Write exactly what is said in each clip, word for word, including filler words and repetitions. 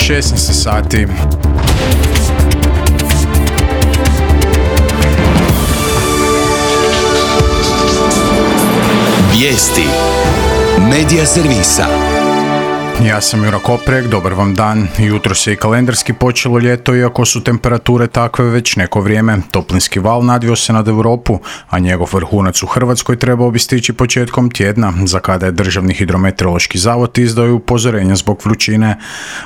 šesnaest sati. Vijesti Medija servisa. Ja sam Jura Koprek, dobar vam dan. Jutro se i kalendarski počelo ljeto, iako su temperature takve već neko vrijeme. Toplinski val nadvio se nad Europu, a njegov vrhunac u Hrvatskoj trebao bi stići početkom tjedna, za kada je Državni hidrometeorološki zavod izdao upozorenja zbog vrućine.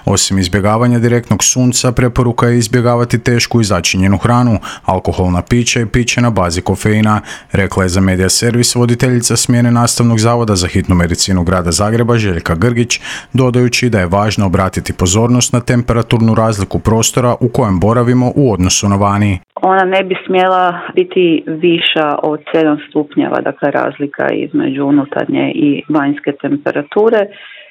Osim izbjegavanja direktnog sunca, preporuka je izbjegavati tešku i začinjenu hranu, alkoholna pića i piće na bazi kofeina, rekla je za Medija servis voditeljica smjene Nastavnog zavoda za hitnu medicinu grada Zagreba Željka Grgić, dodajući da je važno obratiti pozornost na temperaturnu razliku prostora u kojem boravimo u odnosu na vani. Ona ne bi smjela biti viša od sedam stupnjeva, dakle razlika između unutarnje i vanjske temperature,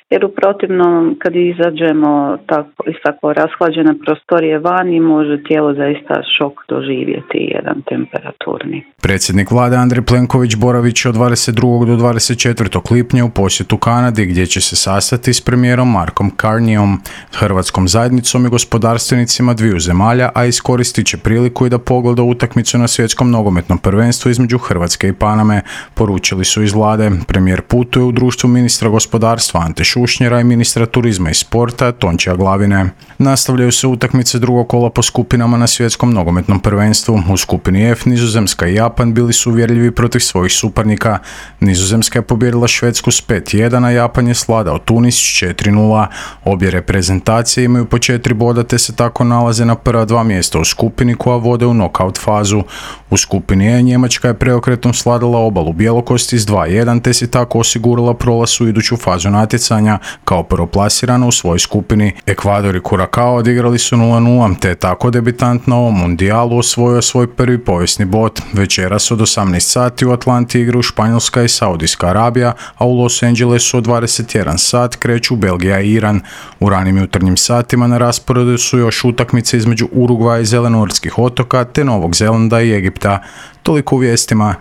jer u protivnom kad izađemo tako, iz tako rashlađene prostorije vani može tijelo zaista šok doživjeti jedan temperaturni. Predsjednik vlade Andrej Plenković boravit će od dvadeset drugog do dvadeset četvrtog lipnja u posjetu Kanadi, gdje će se sastati s premijerom Markom Carneyom, hrvatskom zajednicom i gospodarstvenicima dviju zemalja, a iskoristit će priliku i da pogleda utakmicu na svjetskom nogometnom prvenstvu između Hrvatske i Paname, poručili su iz vlade. Premijer putuje u društvu ministra gospodarstva Ante Šušnjera i ministra turizma i sporta Tončija Glavine. Nastavljaju se utakmice drugog kola po skupinama na svjetskom nogometnom prvenstvu. U skupini F Nizozemska i Japan bili su uvjerljivi protiv svojih suparnika. Nizozemska je pobijedila Švedsku s pet jedan, a Japan je svladao Tunis s četiri nula. Obje reprezentacije imaju po četiri boda te se tako nalaze na prva dva mjesta u skupini koja vode u nokaut fazu. U skupini E Njemačka je preokretom svladala Obalu Bjelokosti s dva jedan te si tako osigurala prolaz u iduću fazu natjecanja kao prvoplasirana u svojoj skupini. Ekvador i Curacao odigrali su nula nula te je tako debitant na ovom mundijalu osvojio svoj prvi povijesni bod. Večeras od osamnaest sati u Atlanti igraju Španjolska i Saudijska Arabija, a u Los Angelesu od dvadeset jedan sat kreću Belgija i Iran. U ranim jutarnjim satima na rasporedu su još utakmice između Urugvaja i Zelenortskih otoka te Novog Zelanda i Egipta. Toliko u vijestima.